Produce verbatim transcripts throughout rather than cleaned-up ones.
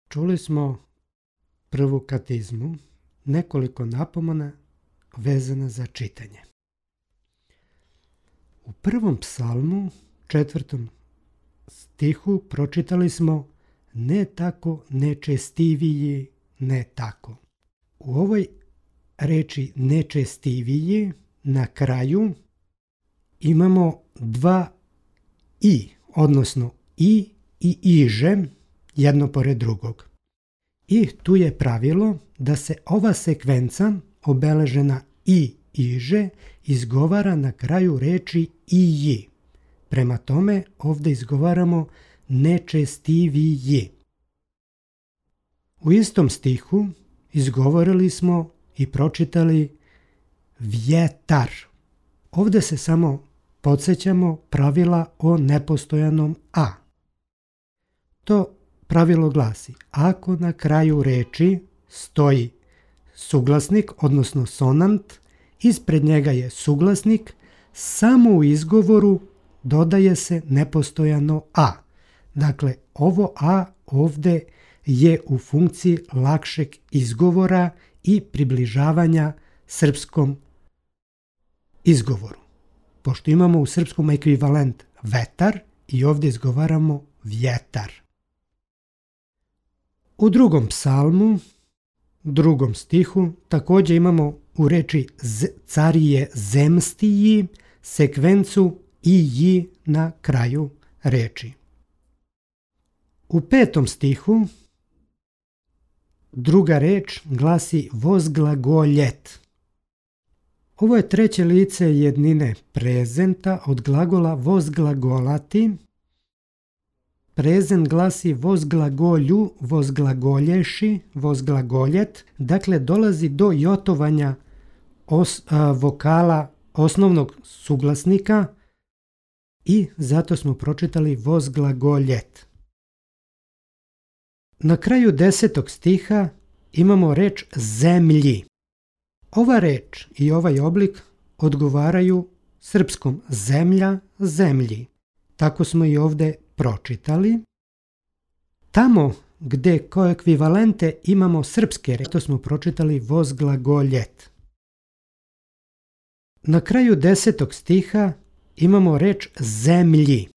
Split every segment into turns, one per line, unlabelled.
Čuli smo prvu katizmu, nekoliko napomena vezana za čitanje. U prvom psalmu, četvrtom stihu, pročitali smo ne tako nečestiviji, ne tako. U ovoj reči nečestiviji na kraju imamo dva i, odnosno i i iže, jedno pored drugog. I tu je pravilo da se ova sekvenca obeležena i iže izgovara na kraju reči iji. Prema tome ovdje izgovaramo nečestiviji. U istom stihu izgovorili smo i pročitali vjetar. Ovdje se samo podsjećamo pravila o nepostojanom a. To pravilo glasi: ako na kraju reči stoji suglasnik, odnosno sonant, ispred njega je suglasnik, samo u izgovoru dodaje se nepostojano a. Dakle, ovo a ovdje je u funkciji lakšeg izgovora i približavanja srpskom izgovoru. Pošto imamo u srpskom ekvivalent vetar i ovdje izgovaramo vjetar. U drugom psalmu, drugom stihu, također imamo u reči carije zemstiji sekvencu i na kraju reči. U petom stihu druga reč glasi vozglagoljet. Ovo je treće lice jednine prezenta od glagola vozglagolati. Prezent glasi vozglagolju, vozglagolješi, vozglagoljet. Dakle, dolazi do jotovanja os, a, vokala osnovnog suglasnika i zato smo pročitali vozglagoljet. Na kraju desetog stiha imamo reč zemlji. Ova reč i ovaj oblik odgovaraju srpskom zemlja, zemlji. Tako smo i ovdje pročitali. Tamo gdje kao ekvivalente imamo srpske reči, to smo pročitali vozglagoljet. Na kraju desetog stiha imamo reč zemlji.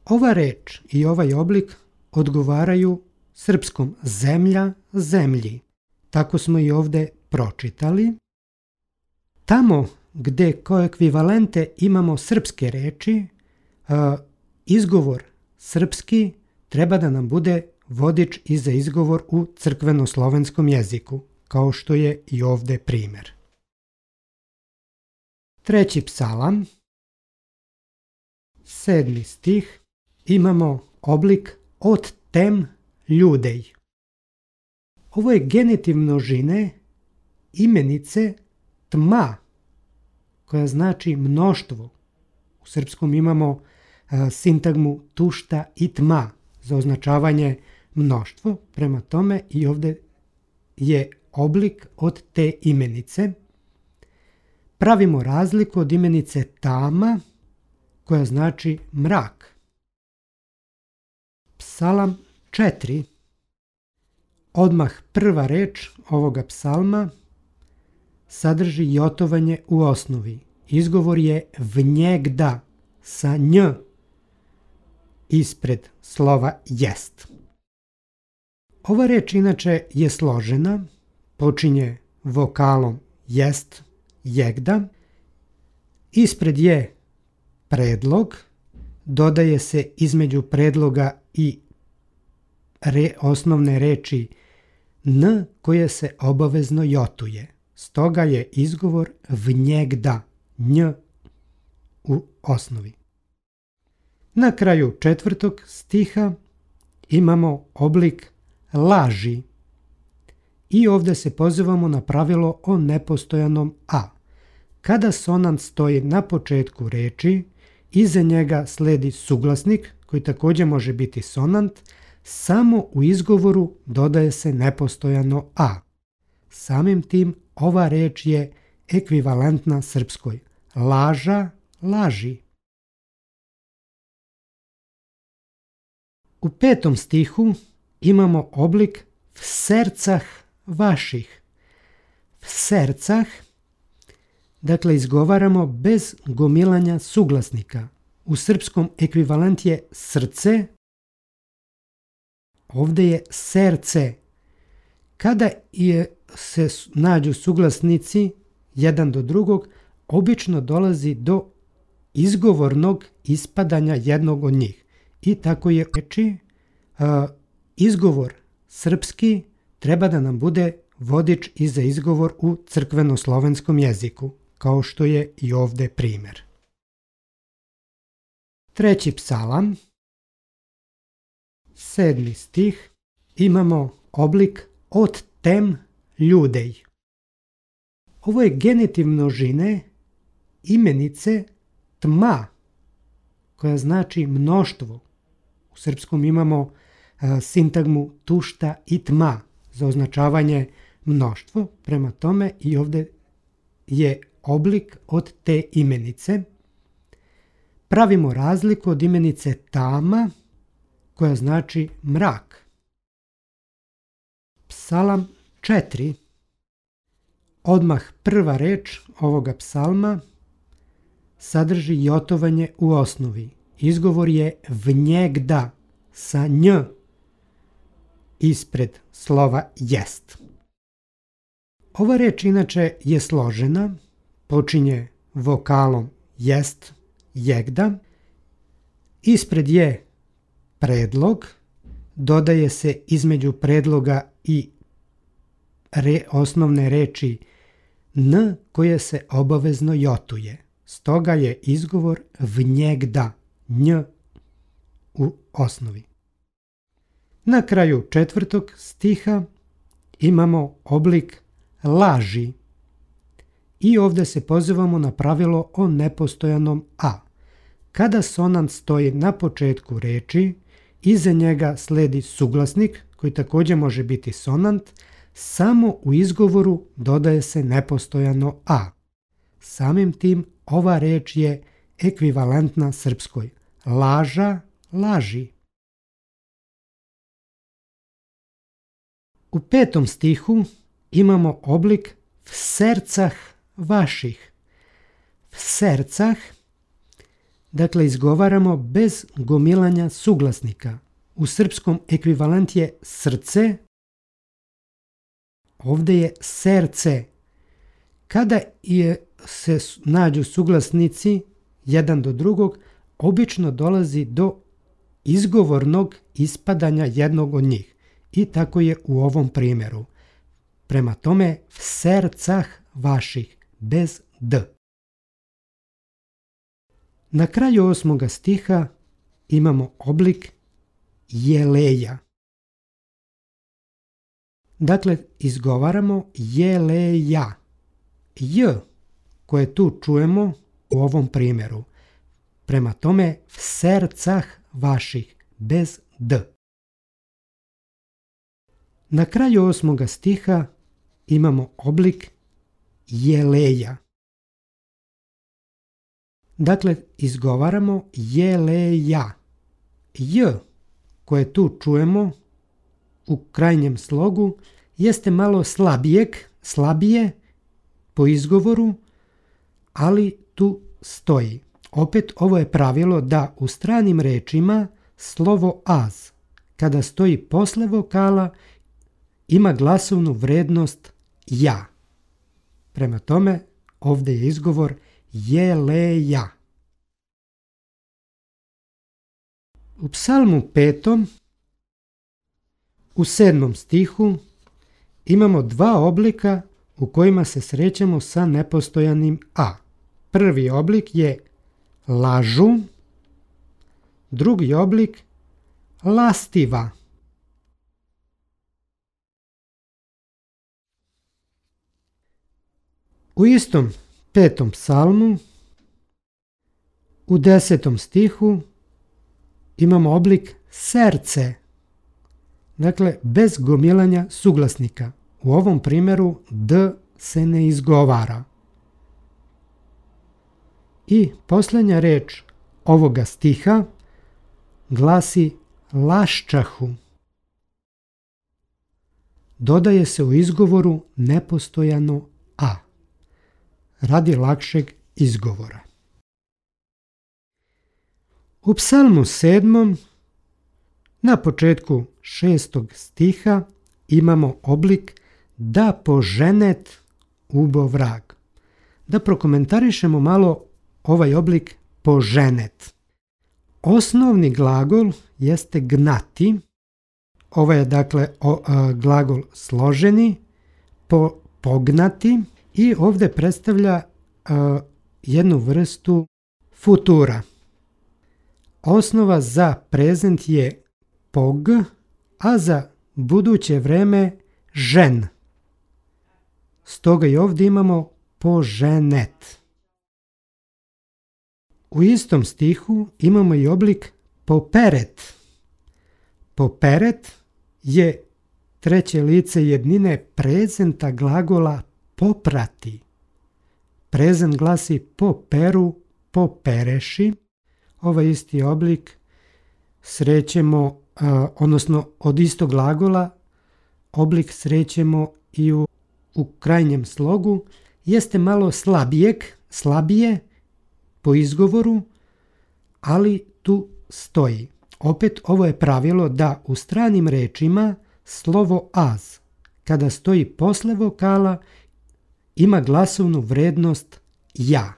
Ova reč i ovaj oblik odgovaraju srpskom zemlja, zemlji. Tako smo i ovdje pročitali. Tamo gdje kao ekvivalente imamo srpske reči, izgovor srpski treba da nam bude vodič i za izgovor u crkveno-slovenskom jeziku, kao što je i ovdje primjer. Treći psalam, sedmi stih, imamo oblik od tem ljudej. Ovo je genitiv množine imenice tma, koja znači mnoštvo. U srpskom imamo a, sintagmu tušta i tma za označavanje mnoštvo. Prema tome i ovdje je oblik od te imenice. Pravimo razliku od imenice tama, koja znači mrak. Psalam četiri. Odmah prva reč ovoga psalma sadrži jotovanje u osnovi. Izgovor je vnjegda sa nj ispred slova jest. Ova reč inače je složena, počinje vokalom jest, jegda, ispred je predlog, dodaje se između predloga i re, osnovne reči n koje se obavezno jotuje. Stoga je izgovor vnjegda, nj u osnovi. Na kraju četvrtog stiha imamo oblik laži i ovdje se pozivamo na pravilo o nepostojanom a. Kada sonant stoji na početku reči, iza njega sledi suglasnik koji također može biti sonant, samo u izgovoru dodaje se nepostojano a. Samim tim ova reč je ekvivalentna srpskoj laža, laži. U petom stihu imamo oblik v sercah vaših. V sercah, dakle izgovaramo bez gomilanja suglasnika. U srpskom ekvivalent je srce, ovdje je serce. Kada je, se nađu suglasnici jedan do drugog, obično dolazi do izgovornog ispadanja jednog od njih. I tako je reči, uh, izgovor srpski treba da nam bude vodič i za izgovor u crkveno-slovenskom jeziku, kao što je i ovdje primjer. Treći psalam, sedmi stih, imamo oblik od tem ljudej. Ovo je genitiv množine imenice tma, koja znači mnoštvo. U srpskom imamo uh, sintagmu tušta i tma za označavanje mnoštvo, prema tome i ovdje je oblik od te imenice. Pravimo razliku od imenice tama, koja znači mrak. Psalam četiri. Odmah prva reč ovoga psalma sadrži jotovanje u osnovi. Izgovor je vnjegda sa nj ispred slova jest. Ova reč inače je složena, počinje vokalom jest, jegda, ispred je predlog, dodaje se između predloga i re, osnovne reči n koje se obavezno jotuje. Stoga je izgovor vnjegda, nj u osnovi. Na kraju četvrtog stiha imamo oblik laži i ovdje se pozivamo na pravilo o nepostojanom a. Kada sonant stoji na početku reči, iza njega sledi suglasnik koji također može biti sonant, samo u izgovoru dodaje se nepostojano a. Samim tim ova reč je ekvivalentna srpskoj. Laža, laži. U petom stihu imamo oblik v sercah vaših. V sercah, dakle izgovaramo bez gomilanja suglasnika. U srpskom ekvivalent je srce, ovdje je serce. Kada je, se nađu suglasnici jedan do drugog, obično dolazi do izgovornog ispadanja jednog od njih. I tako je u ovom primjeru. Prema tome, v sercah vaših, bez d. Na kraju osmoga stiha imamo oblik jeleja. Dakle, izgovaramo jeleja. J, koje tu čujemo u ovom primjeru. Prema tome, v sercah vaših, bez d. Na kraju osmoga stiha imamo oblik jeleja. Dakle, izgovaramo jeleja. J, koje tu čujemo u krajnjem slogu, jeste malo slabijeg, slabije po izgovoru, ali tu stoji. Opet ovo je pravilo da u stranim rečima slovo az, kada stoji posle vokala, ima glasovnu vrednost ja. Prema tome, ovdje je izgovor jeleja. U psalmu petom, u sedmom stihu, imamo dva oblika u kojima se srećemo sa nepostojanim a. Prvi oblik je lažu, drugi oblik lastiva. U istom petom psalmu, u desetom stihu, imamo oblik serce, dakle bez gomilanja suglasnika. U ovom primjeru d se ne izgovara. I posljednja reč ovoga stiha glasi laščahu. dodaje se u izgovoru nepostojano a, radi lakšeg izgovora. U psalmu sedmom na početku šestog stiha imamo oblik da poženet ubo vrag. Da prokomentarišemo malo ovaj oblik poženet. Osnovni glagol jeste gnati. Ovo je dakle o, a, glagol složeni, po, pognati i ovdje predstavlja a, jednu vrstu futura. Osnova za prezent je pog, a za buduće vreme žen. Stoga i ovdje imamo poženet. U istom stihu imamo i oblik poperet. Poperet je treće lice jednine prezenta glagola poprati. Prezent glasi poperu, popereši. Ovaj isti oblik srećemo, odnosno od istog glagola, oblik srećemo i u, u krajnjem slogu. Jeste malo slabijeg, slabije po izgovoru, ali tu stoji. Opet ovo je pravilo da u stranim rečima slovo az, kada stoji posle vokala, ima glasovnu vrednost ja.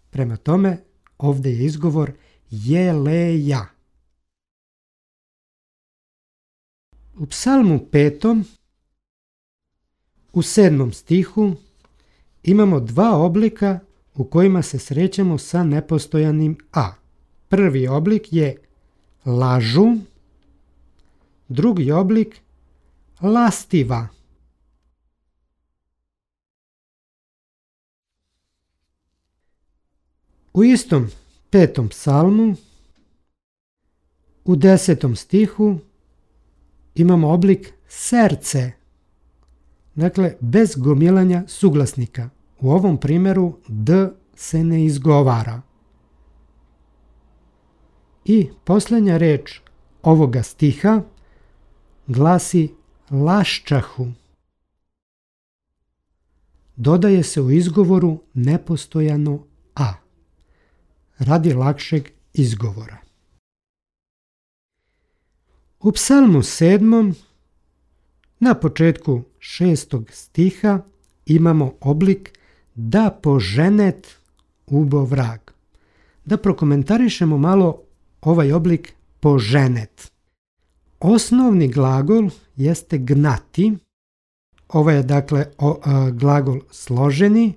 Prema tome, ovdje je izgovor jeleja. U psalmu petom, u sedmom stihu, imamo dva oblika u kojima se srećemo sa nepostojanim a. Prvi oblik je lažu, drugi oblik lastiva. U istom petom psalmu, u desetom stihu, imamo oblik srce, dakle bez gomilanja suglasnika. U ovom primjeru d se ne izgovara. I posljednja reč ovoga stiha glasi laščahu. Dodaje se u izgovoru nepostojano a, radi lakšeg izgovora. U psalmu sedmom na početku šestog stiha imamo oblik da poženet ubo vrag. Da prokomentarišemo malo ovaj oblik poženet. Osnovni glagol jeste gnati. Ovo je dakle o, a, glagol složeni,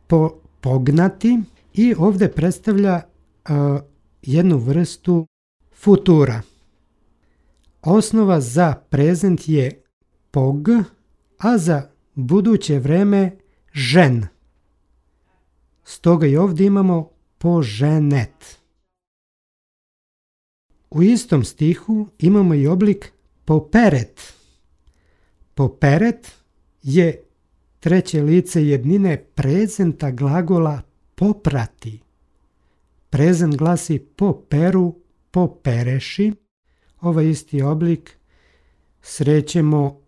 po, pognati i ovdje predstavlja a, jednu vrstu futura. Osnova za prezent je pog, a za buduće vreme žen. Stoga i ovdje imamo poženet. U istom stihu imamo i oblik poperet. Poperet je treće lice jednine prezenta glagola poprati. Prezent glasi poperu, popereši. Ovaj isti oblik srećemo,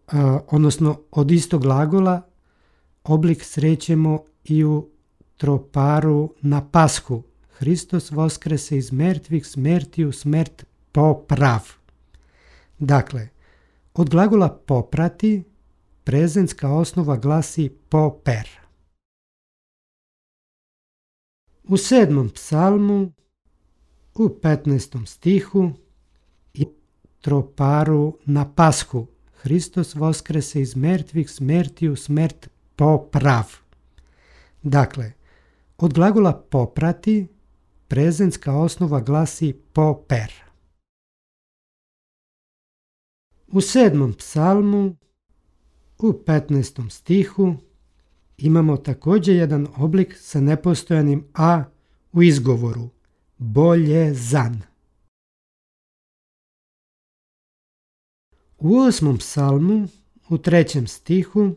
odnosno od istog glagola, oblik srećemo i u troparu na Pashu. Hristos voskrese iz mrtvih, smrtiju smrt poprav. Dakle, od glagola poprati prezentska osnova glasi poper. U sedmom psalmu, u petnaestom stihu, i troparu na Pashu. Hristos voskrese iz mrtvih, smrtiju smrt poprav. Dakle, od glagola poprati prezentska osnova glasi poper. U sedmom psalmu, u petnaestom stihu, imamo također jedan oblik sa nepostojanim a u izgovoru, boljezan. U osmom psalmu, u trećem stihu,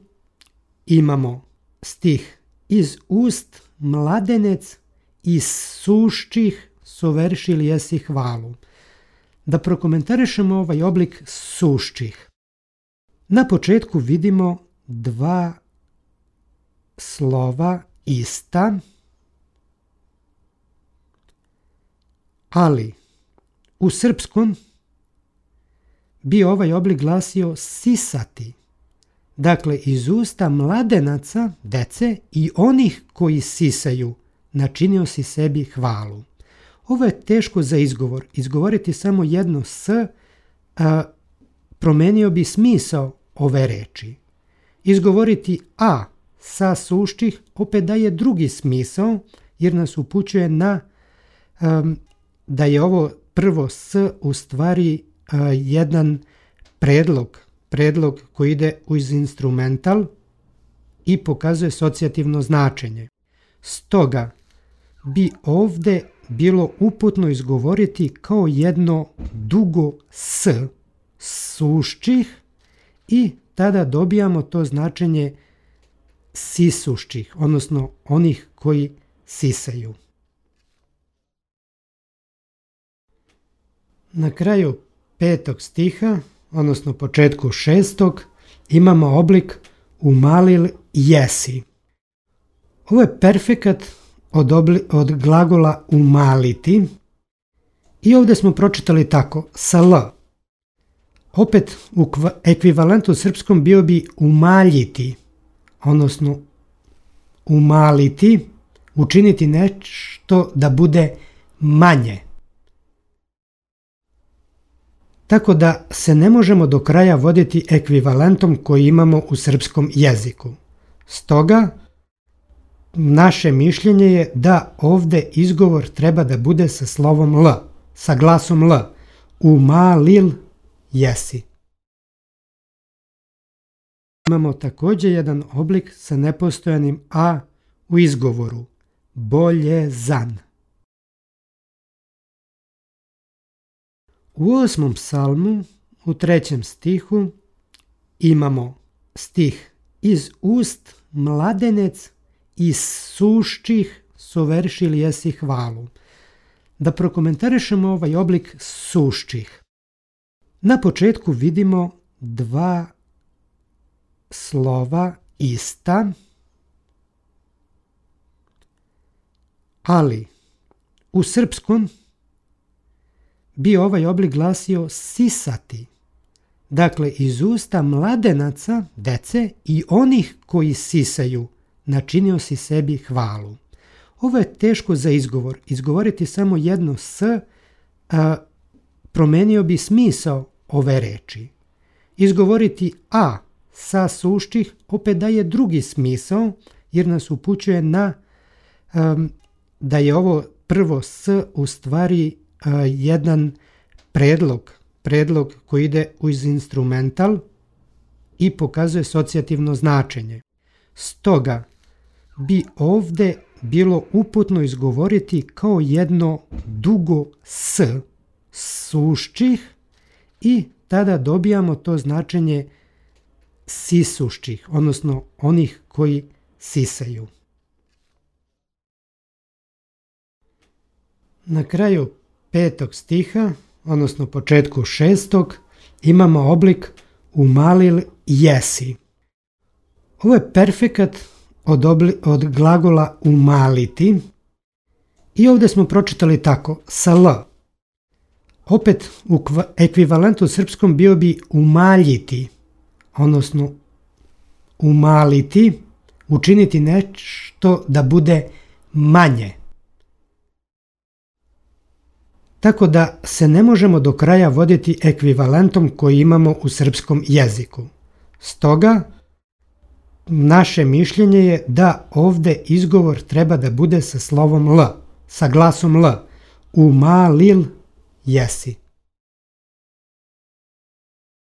imamo stih iz ust mladenec iz suščih soveršili jesi hvalu. Da prokomentarišemo ovaj oblik suščih. Na početku vidimo dva slova ista, ali u srpskom bi ovaj oblik glasio sisati. Dakle, iz usta mladenaca, dece i onih koji sisaju, načinio si sebi hvalu. Ovo je teško za izgovor. Izgovoriti samo jedno s, a, promenio bi smisao ove reči. Izgovoriti a sa sušćih opet daje drugi smisao, jer nas upućuje na um, da je ovo prvo s u stvari uh, jedan predlog, predlog koji ide uz instrumental i pokazuje asocijativno značenje. Stoga bi ovde bilo uputno izgovoriti kao jedno dugo s sušćih i tada dobijamo to značenje sisušćih, odnosno onih koji sisaju. Na kraju petog stiha, odnosno početku šestog, imamo oblik umalil jesi. Ovo je perfekat od, obli, od glagola umaliti i ovdje smo pročitali tako, sa l. Opet u ekvivalentu srpskom bio bi umaljiti, odnosno umaliti, učiniti nešto da bude manje. Tako da se ne možemo do kraja voditi ekvivalentom koji imamo u srpskom jeziku. Stoga, naše mišljenje je da ovdje izgovor treba da bude sa slovom l, sa glasom l. Umalil jesi. Imamo također jedan oblik sa nepostojanim a u izgovoru. Boljezan. U osmom psalmu, u trećem stihu, imamo stih iz ust mladenec iz sušćih soveršili jesi hvalu. Da prokomentarišemo ovaj oblik sušćih. Na početku vidimo dva slova ista, ali u srpskom bi ovaj oblik glasio sisati. Dakle, iz usta mladenaca, dece i onih koji sisaju, načinio si sebi hvalu. Ovo je teško za izgovor. Izgovoriti samo jedno s, a, promenio bi smisao ove reči. Izgovoriti a sa sušćih opet daje drugi smisao, jer nas upućuje na um, da je ovo prvo s u stvari uh, jedan predlog, predlog koji ide uz instrumental i pokazuje asocijativno značenje. Stoga bi ovdje bilo uputno izgovoriti kao jedno dugo s sušćih i tada dobijamo to značenje sisušćih, odnosno onih koji sisaju. Na kraju petog stiha, odnosno početku šestog, imamo oblik umalil jesi. Ovo je perfekat od, obli, od glagola umaliti i ovdje smo pročitali tako, sa l. Opet u ekvivalentu srpskom bio bi umaljiti, odnosno umaliti, učiniti nešto da bude manje. Tako da se ne možemo do kraja voditi ekvivalentom koji imamo u srpskom jeziku. Stoga, naše mišljenje je da ovdje izgovor treba da bude sa slovom l, sa glasom l. Umalil jesi.